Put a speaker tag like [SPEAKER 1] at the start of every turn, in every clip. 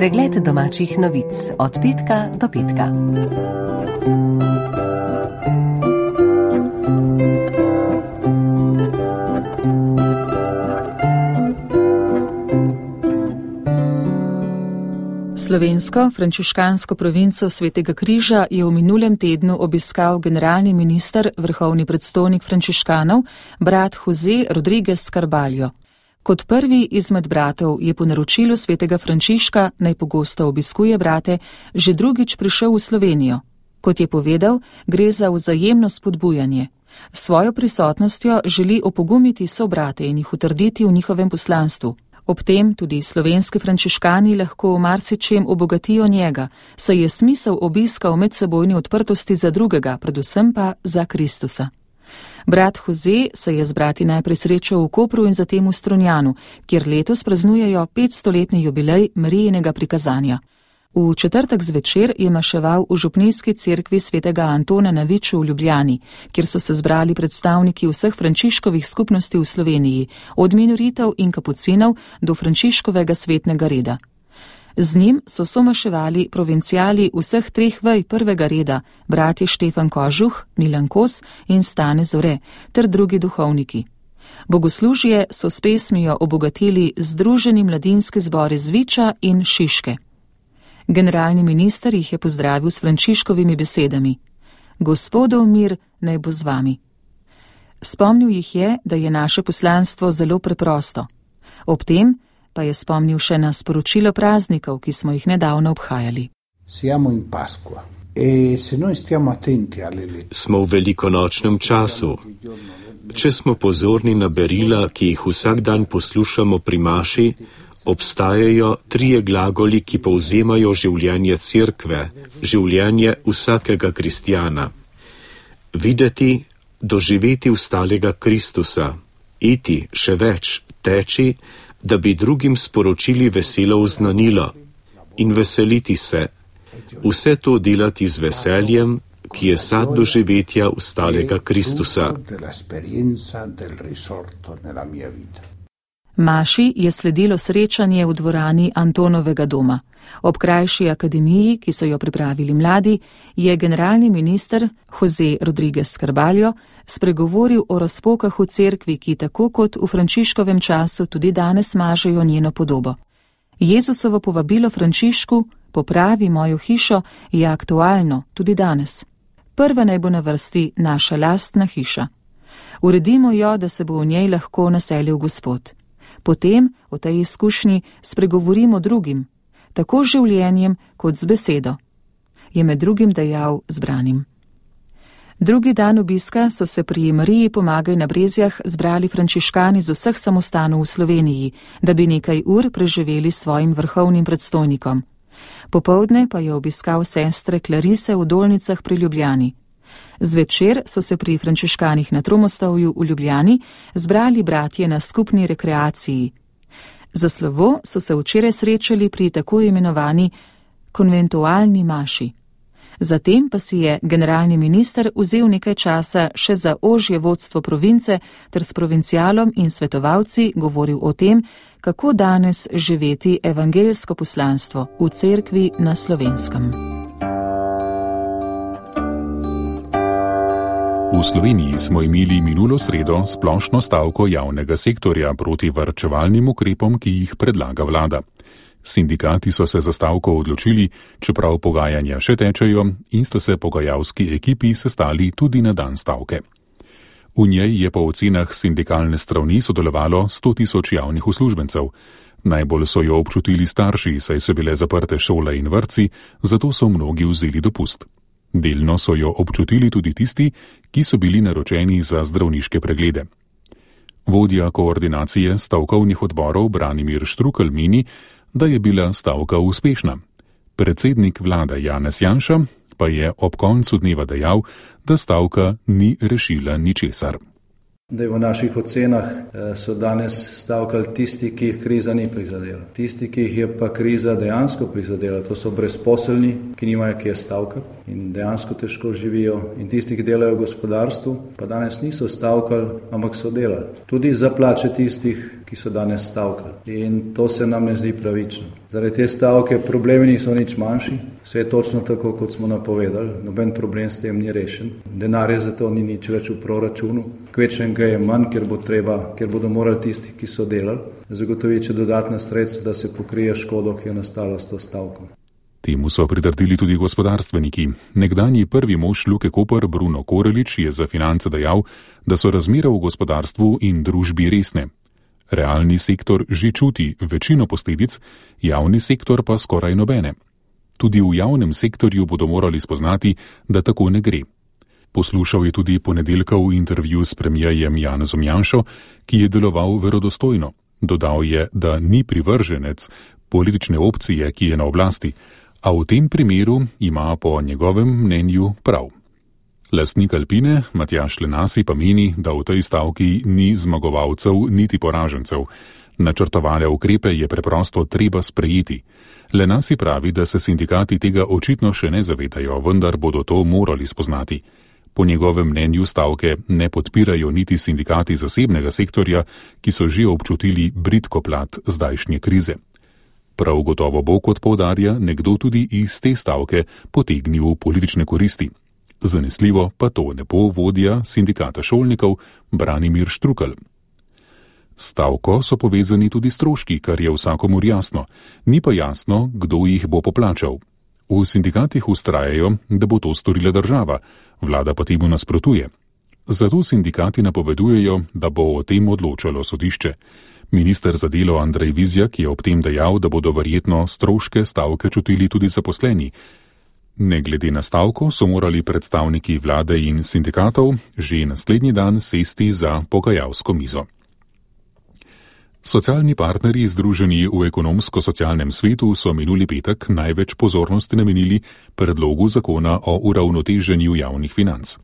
[SPEAKER 1] Pregled domačih novic od petka do petka.
[SPEAKER 2] Slovensko frančiškansko provinco Svetega križa je v minulem tednu obiskal generalni minister, vrhovni predstojnik frančiškanov, brat Jose Rodriguez Carballo. Kot prvi izmed bratov je po naročilu svetega Frančiška, naj pogosto obiskuje brate, že drugič prišel v Slovenijo. Kot je povedal, gre za vzajemno spodbujanje. S svojo prisotnostjo želi opogumiti sobrate in jih utrditi v njihovem poslanstvu. Ob tem tudi slovenski frančiškani lahko v marsičem obogatijo njega, saj je smisel obiska v medsebojni odprtosti za drugega, predvsem pa za Kristusa. Brat Jose se je z brati najprej srečal v Kopru in zatem v Strunjanu, kjer letos praznujejo 500-letni jubilej Marijinega prikazanja. V četrtek zvečer je maševal v župnijski cerkvi svetega Antona na Viču v Ljubljani, kjer so se zbrali predstavniki vseh frančiškovih skupnosti v Sloveniji, od minoritev in kapucinov do frančiškovega svetnega reda. Z njim so somaševali provincijali vseh treh vej prvega reda, bratje Štefan Kožuh, Milan Kos in Stane Zore, ter drugi duhovniki. Bogoslužje so s pesmijo obogatili Združeni mladinski zbor iz Viča in Šiške. Generalni minister jih je pozdravil s frančiškovimi besedami: Gospodov mir naj bo z vami. Spomnil jih je, da je naše poslanstvo zelo preprosto. Ob tem pa je spomnil še na sporočilo praznikov, ki smo jih nedavno obhajali.
[SPEAKER 3] Smo v velikonočnem času. Če smo pozorni na berila, ki jih vsak dan poslušamo pri maši, obstajajo trije glagoli, ki povzemajo življenje cerkve, življenje vsakega kristjana. Videti, doživeti ustalega Kristusa, iti, še več, teči, da bi drugim sporočili veselo vznanilo in veseliti se, vse to delati z veseljem, ki je sad doživetja ustalega Kristusa.
[SPEAKER 2] Maši je sledilo srečanje v dvorani Antonovega doma. Ob krajši akademiji, ki so jo pripravili mladi, je generalni minister Jose Rodriguez Carballo spregovoril o razpokah v cerkvi, ki tako kot v Frančiškovem času tudi danes mažejo njeno podobo. Jezusovo povabilo Frančišku, popravi mojo hišo, je aktualno tudi danes. Prva naj bo na vrsti naša lastna hiša. Uredimo jo, da se bo v njej lahko naselil Gospod. Potem o tej izkušnji spregovorimo drugim, tako z življenjem kot z besedo, je med drugim dejal zbranim. Drugi dan obiska so se pri Mariji Pomagaj na Brezjah zbrali frančiškani z vseh samostanov v Sloveniji, da bi nekaj ur preživeli s svojim vrhovnim predstojnikom. Popoldne pa je obiskal sestre Klarise v Dolnicah pri Ljubljani. Zvečer so se pri frančiškanih na Tromostovju v Ljubljani zbrali bratje na skupni rekreaciji. Za slovo so se včeraj srečali pri tako imenovani konventualni maši. Zatem pa si je generalni minister vzel nekaj časa še za ožje vodstvo province ter s provincialom in svetovalci govoril o tem, kako danes živeti evangeljsko poslanstvo v cerkvi na Slovenskem.
[SPEAKER 4] V Sloveniji smo imeli minulo sredo splošno stavko javnega sektorja proti varčevalnim ukrepom, ki jih predlaga vlada. Sindikati so se za stavko odločili, čeprav pogajanja še tečejo, in sta se pogajalski ekipi sestali tudi na dan stavke. V njej je po ocenah sindikalne strani sodelovalo 100.000 javnih uslužbencev. Najbolj so jo občutili starši, saj so bile zaprte šole in vrtci, zato so mnogi vzeli dopust. Delno so jo občutili tudi tisti, ki so bili naročeni za zdravniške preglede. Vodja koordinacije stavkovnih odborov Branimir Štrukelj meni, da je bila stavka uspešna. Predsednik vlade Janez Janša pa je ob koncu dneva dejal, da stavka ni rešila ničesar.
[SPEAKER 5] V naših ocenah so danes stavkali tisti, ki jih kriza ni prizadela. Tisti, ki jih je pa kriza dejansko prizadela, to so brezposelni, ki nimajo kje stavkati in dejansko težko živijo. In tisti, ki delajo v gospodarstvu, pa danes niso stavkali, ampak so delali. Tudi za plače tistih, ki so danes stavkali. In to se nam ne zdi pravično. Zaradi te stavke problemi niso nič manjši, vse je točno tako, kot smo napovedali, noben problem s tem ni rešen. Denarja za to ni nič več v proračunu, kvečnega je manj, ker bodo morali tisti, ki so delali, zagotoviti dodatna sredstva, da se pokrije škodo, ki je nastala s to stavko.
[SPEAKER 4] Temu so pritrdili tudi gospodarstveniki. Nekdanji prvi mož Luke Koper Bruno Korelič je za Finance dejal, da so razmere v gospodarstvu in družbi resne. Realni sektor že čuti večino posledic, javni sektor pa skoraj nobene. Tudi v javnem sektorju bodo morali spoznati, da tako ne gre. Poslušal je tudi ponedeljkov intervju s premijerjem Janezom Janšo, ki je deloval verodostojno. Dodal je, da ni privrženec politične opcije, ki je na oblasti, a v tem primeru ima po njegovem mnenju prav. Lastnik Alpine, Matjaž Lenasi, pa meni, da v tej stavki ni zmagovalcev niti poražencev. Načrtovane ukrepe je preprosto treba sprejeti. Lenasi pravi, da se sindikati tega očitno še ne zavedajo, vendar bodo to morali spoznati. Po njegovem mnenju stavke ne podpirajo niti sindikati zasebnega sektorja, ki so že občutili bridko plat zdajšnje krize. Prav gotovo bo, kot poudarja, nekdo tudi iz te stavke potegnil politične koristi. Zanesljivo pa to ne bo vodja sindikata šolnikov Branimir Štrukelj. Stavko so povezani tudi stroški, kar je vsakomur jasno. Ni pa jasno, kdo jih bo poplačal. V sindikatih vztrajajo, da bo to storila država, vlada pa temu nasprotuje. Zato sindikati napovedujejo, da bo o tem odločalo sodišče. Minister za delo Andrej Vizjak je ob tem dejal, da bodo verjetno stroške stavke čutili tudi zaposleni. Ne glede na stavko so morali predstavniki vlade in sindikatov že naslednji dan sesti za pogajalsko mizo. Socialni partnerji združeni v ekonomsko-socialnem svetu so minuli petek največ pozornosti namenili predlogu zakona o uravnoteženju javnih financ,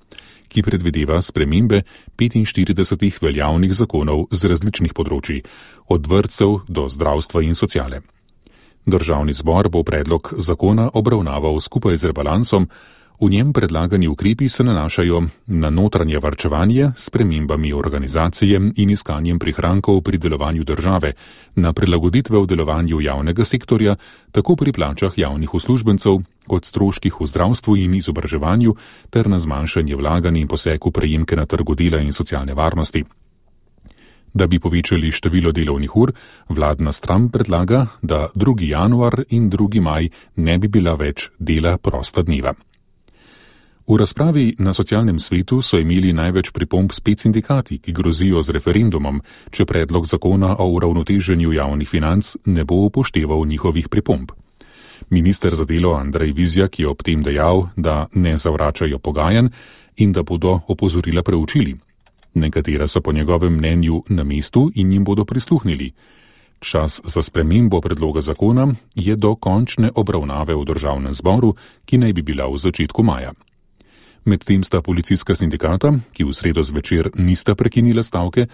[SPEAKER 4] ki predvideva spremembe 45 veljavnih zakonov z različnih področij, od vrtcev do zdravstva in sociale. Državni zbor bo predlog zakona obravnaval skupaj z rebalansom. V njem predlagani ukrepi se nanašajo na notranje varčevanje s spremembami organizacije in iskanjem prihrankov pri delovanju države, na prilagoditve v delovanju javnega sektorja, tako pri plačah javnih uslužbencev kot stroških v zdravstvu in izobraževanju, ter na zmanjšanje vlaganj in poseg v prejemke na trgu dela in socialne varnosti. Da bi povečali število delovnih ur, vladna stran predlaga, da 2. januar in 2. maj ne bi bila več dela prosta dneva. V razpravi na socialnem svetu so imeli največ pripomb spet sindikati, ki grozijo z referendumom, če predlog zakona o uravnoteženju javnih financ ne bo upošteval njihovih pripomb. Minister za delo Andrej Vizjak je ob tem dejal, da ne zavračajo pogajanj in da bodo opozorila preučili. Nekatera so po njegovem mnenju na mestu in jim bodo prisluhnili. Čas za spremembo predloga zakona je do končne obravnave v državnem zboru, ki naj bi bila v začetku maja. Medtem sta policijska sindikata, ki v sredo zvečer nista prekinila stavke,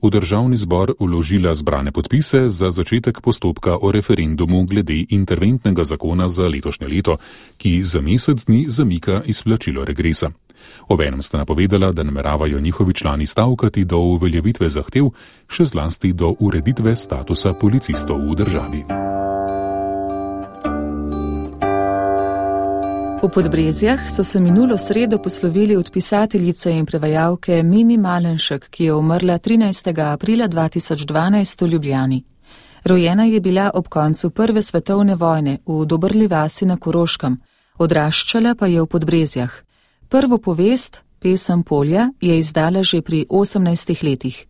[SPEAKER 4] v državni zbor vložila zbrane podpise za začetek postopka o referendumu glede interventnega zakona za letošnje leto, ki za mesec dni zamika izplačilo regresa. Obenem sta napovedala, da nameravajo njihovi člani stavkati do uveljavitve zahtev, še zlasti do ureditve statusa policistov v državi.
[SPEAKER 2] V Podbrezjah so se minulo sredo poslovili od pisateljice in prevajalke Mimi Malenšek, ki je umrla 13. aprila 2012 v Ljubljani. Rojena je bila ob koncu Prve svetovne vojne v Dobrli vasi na Koroškem, odraščala pa je v Podbrezjah. Prvo povest, Pesem polja, je izdala že pri 18 letih.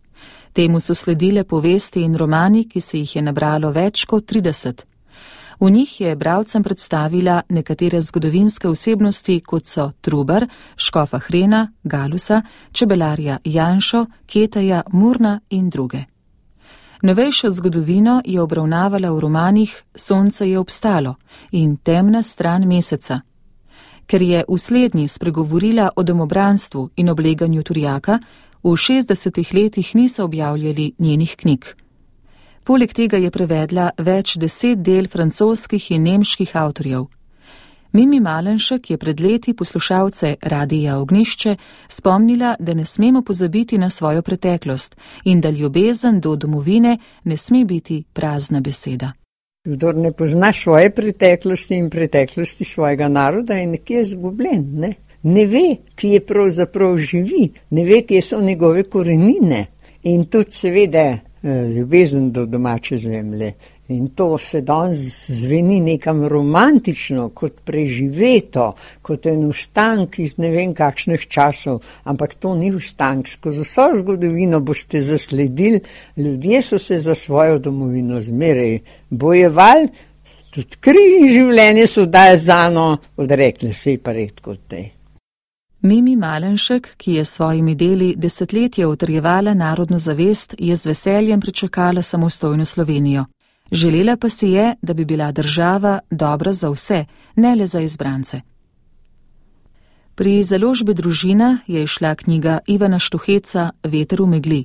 [SPEAKER 2] Temu so sledile povesti in romani, ki se jih je nabralo več kot 30. V njih je bralcem predstavila nekatere zgodovinske osebnosti, kot so Trubar, škofa Hrena, Galusa, čebelarja Janšo, Ketaja, Murna in druge. Novejšo zgodovino je obravnavala v romanih Sonce je obstalo in Temna stran meseca. Ker je v slednji spregovorila o domobranstvu in obleganju Turjaka, v 60 letih niso objavljali njenih knjig. Poleg tega je prevedla več 10 del francoskih in nemških avtorjev. Mimi Malenšek je pred leti poslušalce Radija Ognjišče spomnila, da ne smemo pozabiti na svojo preteklost in da ljubezen do domovine ne sme biti prazna beseda.
[SPEAKER 6] Kdor ne pozna svoje preteklosti in preteklosti svojega naroda, je nekje izgubljen, ne? Ne ve, kje pravzaprav živi, ne ve, kje so njegove korenine in tudi seveda ljubezen do domače zemlje. In to se danes zveni nekam romantično, kot preživeto, kot en ustank iz ne vem kakšnih časov, ampak to ni ustank. Skozi vso zgodovino boste zasledili, ljudje so se za svojo domovino zmeraj bojevali, tudi kri in življenje so dali zano, odrekli se pa redko od tej.
[SPEAKER 2] Mimi Malenšek, ki je s svojimi deli desetletje utrjevala narodno zavest, je z veseljem pričakala samostojno Slovenijo. Želela pa si je, da bi bila država dobra za vse, ne le za izbrance. Pri založbi Družina je izšla knjiga Ivana Štuheca Veter v megli.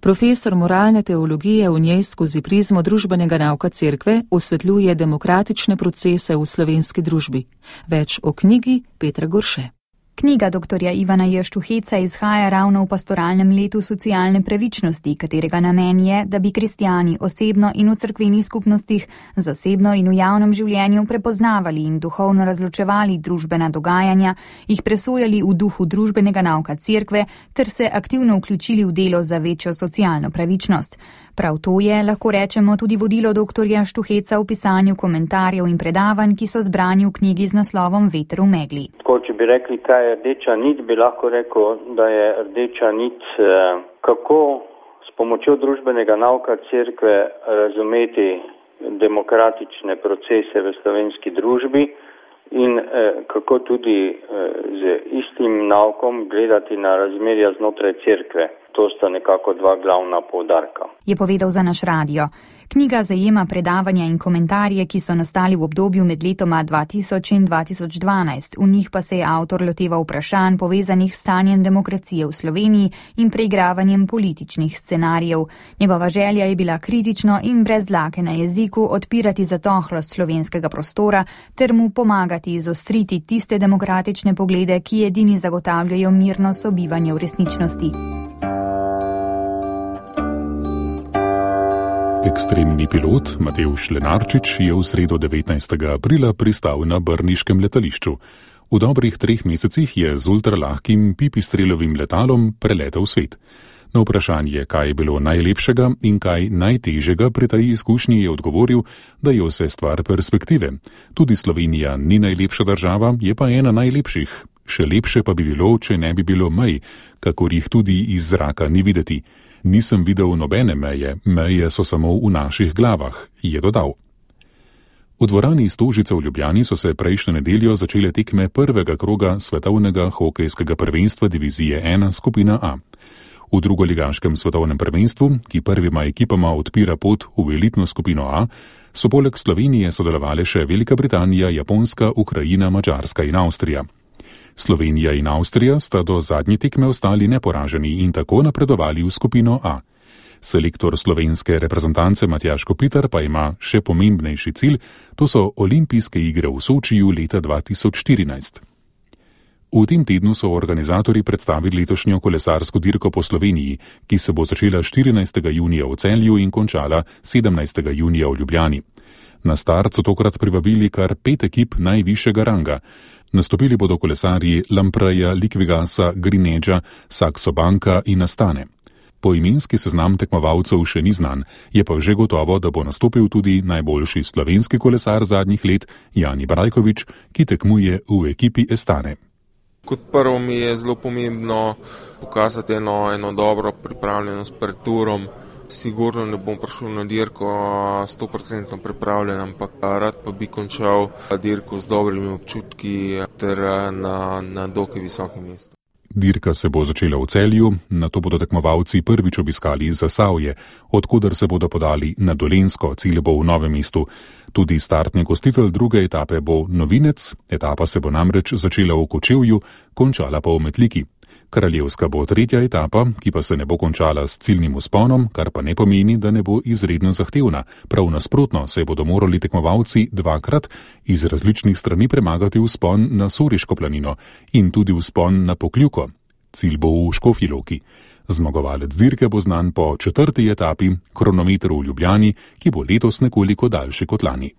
[SPEAKER 2] Profesor moralne teologije v njej skozi prizmo družbenega nauka cerkve osvetljuje demokratične procese v slovenski družbi. Več o knjigi Petra Gorše.
[SPEAKER 7] Knjiga dr. Ivana J. Štuheca izhaja ravno v pastoralnem letu socialne pravičnosti, katerega namen je, da bi kristjani osebno in v cerkvenih skupnostih, zasebno in v javnem življenju prepoznavali in duhovno razločevali družbena dogajanja, jih presojali v duhu družbenega nauka cerkve ter se aktivno vključili v delo za večjo socialno pravičnost. Prav to je, lahko rečemo, tudi vodilo dr. Štuheca v pisanju komentarjev in predavanj, ki so zbrani v knjigi z naslovom Veter v megli.
[SPEAKER 8] Če bi rekli, kaj je rdeča nit, bi lahko rekel, da je rdeča nit, kako s pomočjo družbenega nauka cerkve razumeti demokratične procese v slovenski družbi in kako tudi z istim naukom gledati na razmerja znotraj cerkve. To sta nekako dva glavna poudarka.
[SPEAKER 7] Je povedal za naš radio. Knjiga zajema predavanja in komentarje, ki so nastali v obdobju med letoma 2000 in 2012. V njih pa se je avtor loteval vprašanj povezanih s stanjem demokracije v Sloveniji in preigravanjem političnih scenarijev. Njegova želja je bila kritično in brez dlake na jeziku odpirati zatohlost slovenskega prostora ter mu pomagati izostriti tiste demokratične poglede, ki edini zagotavljajo mirno sobivanje v resničnosti.
[SPEAKER 4] Ekstremni pilot Matevž Lenarčič je v sredo 19. aprila pristal na brniškem letališču. V dobrih 3 mesecih je z ultralahkim pipistrelovim letalom preletel svet. Na vprašanje, kaj je bilo najlepšega in kaj najtežjega pri tej izkušnji, je odgovoril, da je vse stvar perspektive. Tudi Slovenija ni najlepša država, je pa ena najlepših. Še lepše pa bi bilo, če ne bi bilo mej, kakor jih tudi iz zraka ni videti. Nisem videl nobene meje, meje so samo v naših glavah, je dodal. V dvorani Stožice v Ljubljani so se prejšnjo nedeljo začele tekme prvega kroga svetovnega hokejskega prvenstva divizije 1 skupina A. V drugoligaškem svetovnem prvenstvu, ki prvima ekipama odpira pot v elitno skupino A, so poleg Slovenije sodelovale še Velika Britanija, Japonska, Ukrajina, Madžarska in Avstrija. Slovenija in Avstrija sta do zadnje tekme ostali neporaženi in tako napredovali v skupino A. Selektor slovenske reprezentance Matjaž Kopitar pa ima še pomembnejši cilj, to so olimpijske igre v Sočiju leta 2014. V tem tednu so organizatorji predstavili letošnjo kolesarsko dirko po Sloveniji, ki se bo začela 14. junija v Celju in končala 17. junija v Ljubljani. Na start so tokrat privabili kar 5 ekip najvišjega ranga. Nastopili bodo kolesarji Lampreja, Liquigasa, Greenedgea, Saxo Banka in Astane. Poimenski seznam tekmovalcev še ni znan, je pa že gotovo, da bo nastopil tudi najboljši slovenski kolesar zadnjih let Jani Brajkovič, ki tekmuje v ekipi Astane.
[SPEAKER 9] Kot prvo mi je zelo pomembno pokazati eno dobro pripravljenost pred turom. Sigurno ne bom prišel na dirko 100% pripravljen, ampak rad pa bi končal dirko z dobrimi občutki ter na dokaj visokem mestu.
[SPEAKER 4] Dirka se bo začela v Celju, nato bodo tekmovalci prvič obiskali Zasavje, odkuder se bodo podali na Dolenjsko, cilj bo v Novem mestu. Tudi startni gostitelj druge etape bo novinec, etapa se bo namreč začela v Kočevju, končala pa v Metliki. Kraljevska bo tretja etapa, ki pa se ne bo končala s ciljnim vzponom, kar pa ne pomeni, da ne bo izredno zahtevna. Prav nasprotno se bodo morali tekmovalci dvakrat iz različnih strani premagati vzpon na Soriško planino in tudi vzpon na Pokljuko. Cilj bo v Škofji Loki. Zmagovalec dirke bo znan po 4. etapi, kronometer v Ljubljani, ki bo letos nekoliko daljši kot lani.